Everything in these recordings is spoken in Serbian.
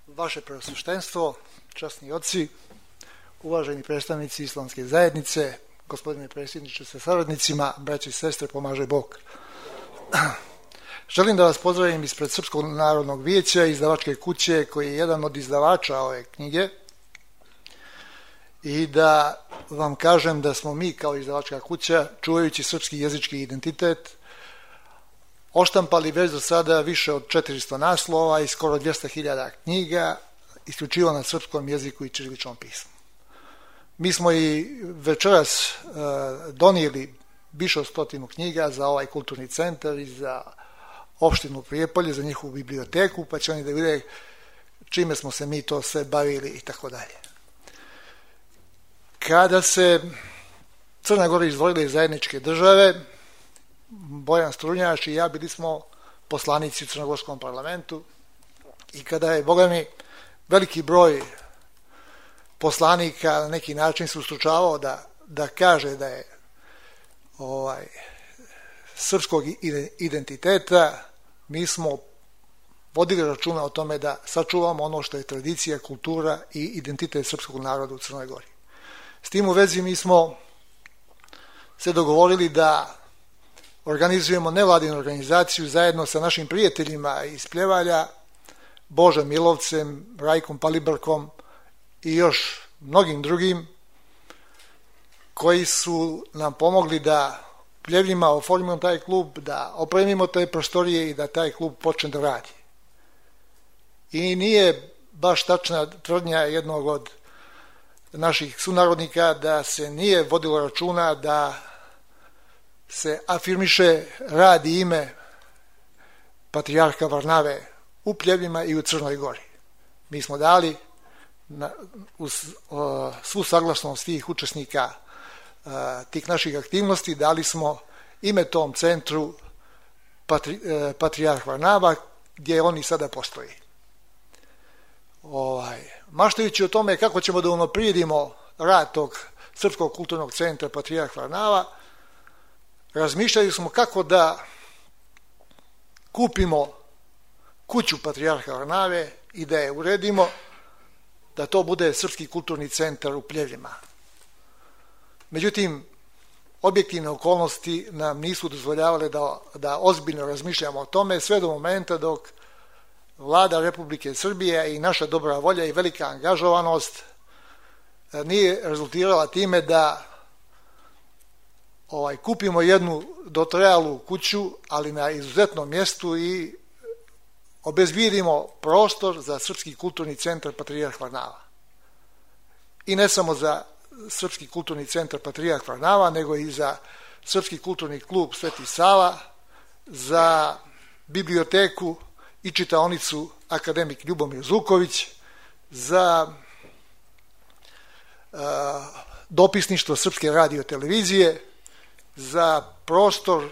Vaše preosveštenstvo, časni oci, uvaženi predstavnici islamske zajednice, gospodine predsjedniče sa saradnicima, braće i sestre, pomaže Bog. Želim da vas pozdravim ispred Srpskog narodnog vijeća, izdavačke kuće, koji je jedan od izdavača ove knjige, i da vam kažem da smo mi kao izdavačka kuća, čuvajući srpski jezički identitet, oštampali već do sada više od 400 naslova i skoro 200.000 knjiga, isključivo na srpskom jeziku i ćiriličnom pismu. Mi smo i večeras donijeli više od 100 knjiga za ovaj kulturni centar i za opštinu Prijepolje, za njihovu biblioteku, pa će oni da vide čime smo se mi to sve bavili i tako dalje. Kada se Crna Gora izdvojila iz zajedničke države, Bojan Strunjač i ja bili smo poslanici u Crnogorskom parlamentu i kada je, Boga mi, veliki broj poslanika na neki način se ustručavao da kaže da je srpskog identiteta, mi smo vodili računa o tome da sačuvamo ono što je tradicija, kultura i identitet srpskog naroda u Crnoj Gori. S tim u vezi mi smo se dogovorili da organizujemo nevladinu organizaciju zajedno sa našim prijateljima iz Pljevalja, Božom Milovcem, Rajkom Palibrkom i još mnogim drugim, koji su nam pomogli da Pljevljima oformimo taj klub, da opremimo te prostorije i da taj klub počne da radi. I nije baš tačna tvrdnja jednog od naših sunarodnika da se nije vodilo računa da se afirmiše rad i ime patrijarha Varnave u Pljevljima i u Crnoj Gori. Mi smo dali uz svu saglasnost svih učesnika tih naših aktivnosti, dali smo ime tom centru patrijarh Varnava, gdje oni sada postoji. Maštajući o tome kako ćemo da unaprijedimo rad tog Srpskog kulturnog centra patrijarh Varnava, razmišljali smo kako da kupimo kuću patrijarha Varnave i da je uredimo da to bude Srpski kulturni centar u Pljevljima. Međutim, objektivne okolnosti nam nisu dozvoljavale da ozbiljno razmišljamo o tome sve do momenta dok Vlada Republike Srbije i naša dobra volja i velika angažovanost nije rezultirala time da kupimo jednu dotrajalu kuću, ali na izuzetnom mjestu, i obezbijedimo prostor za Srpski kulturni centar patrijarh Varnava. I ne samo za Srpski kulturni centar patrijarh Varnava, nego i za Srpski kulturni klub Sveti Sava, za biblioteku i čitaonicu akademik Ljubomir Zuković, za dopisništvo Srpske radiotelevizije, za prostor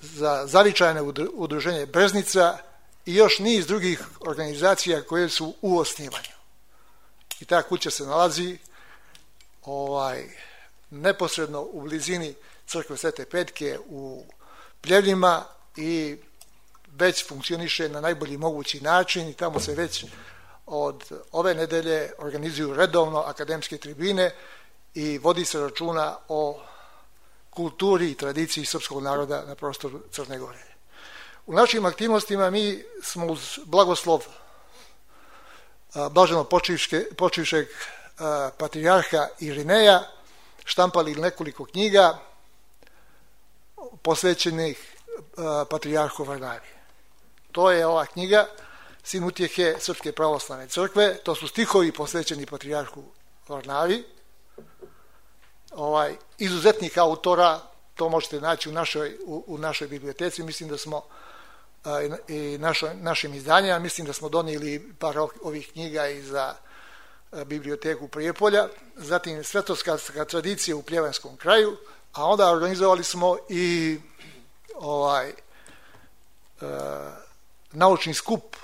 za zavičajne udruženje Breznica i još niz drugih organizacija koje su u osnivanju. I ta kuća se nalazi neposredno u blizini crkve Svete Petke u Pljevljima i već funkcioniše na najbolji mogući način i tamo se već od ove nedelje organizuju redovno akademske tribine i vodi se računa o kulturi i tradiciji srpskog naroda na prostoru Crne Gore. U našim aktivnostima mi smo uz blagoslov blaženo počivšeg patrijarha Irineja štampali nekoliko knjiga posvećenih patrijarhu Varnavi. To je ova knjiga Sin utjehe Srpske pravoslavne crkve, to su stihovi posvećeni patrijarhu Varnavi, izuzetnih autora, to možete naći u našoj biblioteci. Mislim da smo i našim izdanjima, mislim da smo donijeli par ovih knjiga i za biblioteku Prijepolja, zatim svetoskarska tradicija u Pljevanskom kraju, a onda organizovali smo i naučni skup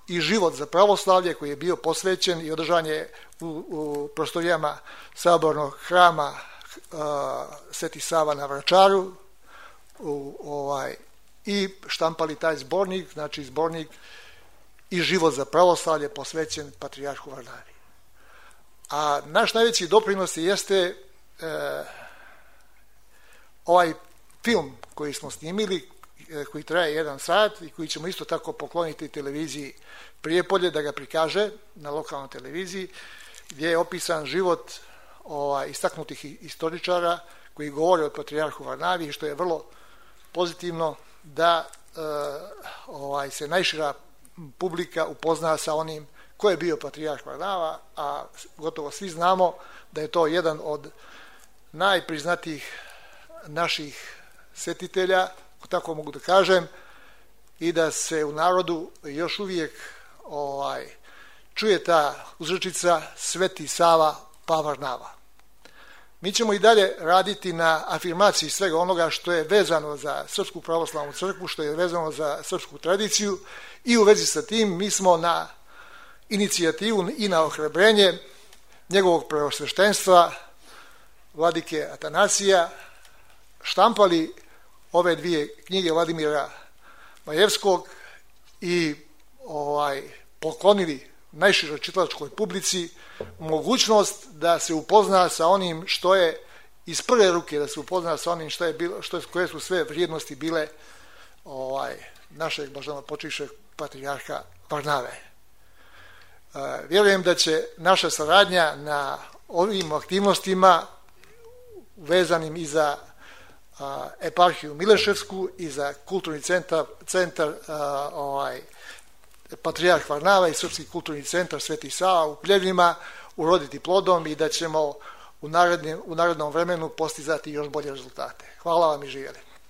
i život za pravoslavlje koji je bio posvećen i održan je u prostorijama sabornog hrama Sveti Sava na Vračaru i štampali taj zbornik, znači zbornik i život za pravoslavlje posvećen patrijarhu Varnavi. A naš najveći doprinos jeste ovaj film koji smo snimili, koji traje 1 sat i koji ćemo isto tako pokloniti televiziji Prijepolje da ga prikaže na lokalnoj televiziji, gdje je opisan život istaknutih istoričara koji govore o patrijarhu Varnavi, što je vrlo pozitivno da se najšira publika upozna sa onim ko je bio patrijarh Varnava, a gotovo svi znamo da je to jedan od najpriznatijih naših svetitelja, tako mogu da kažem, i da se u narodu još uvijek čuje ta uzrečica Sveti Sava pa Varnava. Mi ćemo i dalje raditi na afirmaciji svega onoga što je vezano za Srpsku pravoslavnu crkvu, što je vezano za srpsku tradiciju, i u vezi sa tim mi smo na inicijativu i na ohrabrenje njegovog preosveštenstva vladike Atanasija štampali ove 2 knjige Vladimira Majevskog i poklonili najširoj čitalačkoj publici mogućnost da se upozna sa onim što je iz prve ruke, da se upozna sa onim što je bilo, koje su sve vrijednosti bile našeg blaženopočivšeg patrijarha Varnave. Vjerujem da će naša saradnja na ovim aktivnostima vezanim i za eparhiju Mileševsku i za kulturni centar Patrijarh Varnava i Srpski kulturni centar Sveti Sava u Pljevljima uroditi plodom i da ćemo u narednom vremenu postizati još bolje rezultate. Hvala vam i živjeli.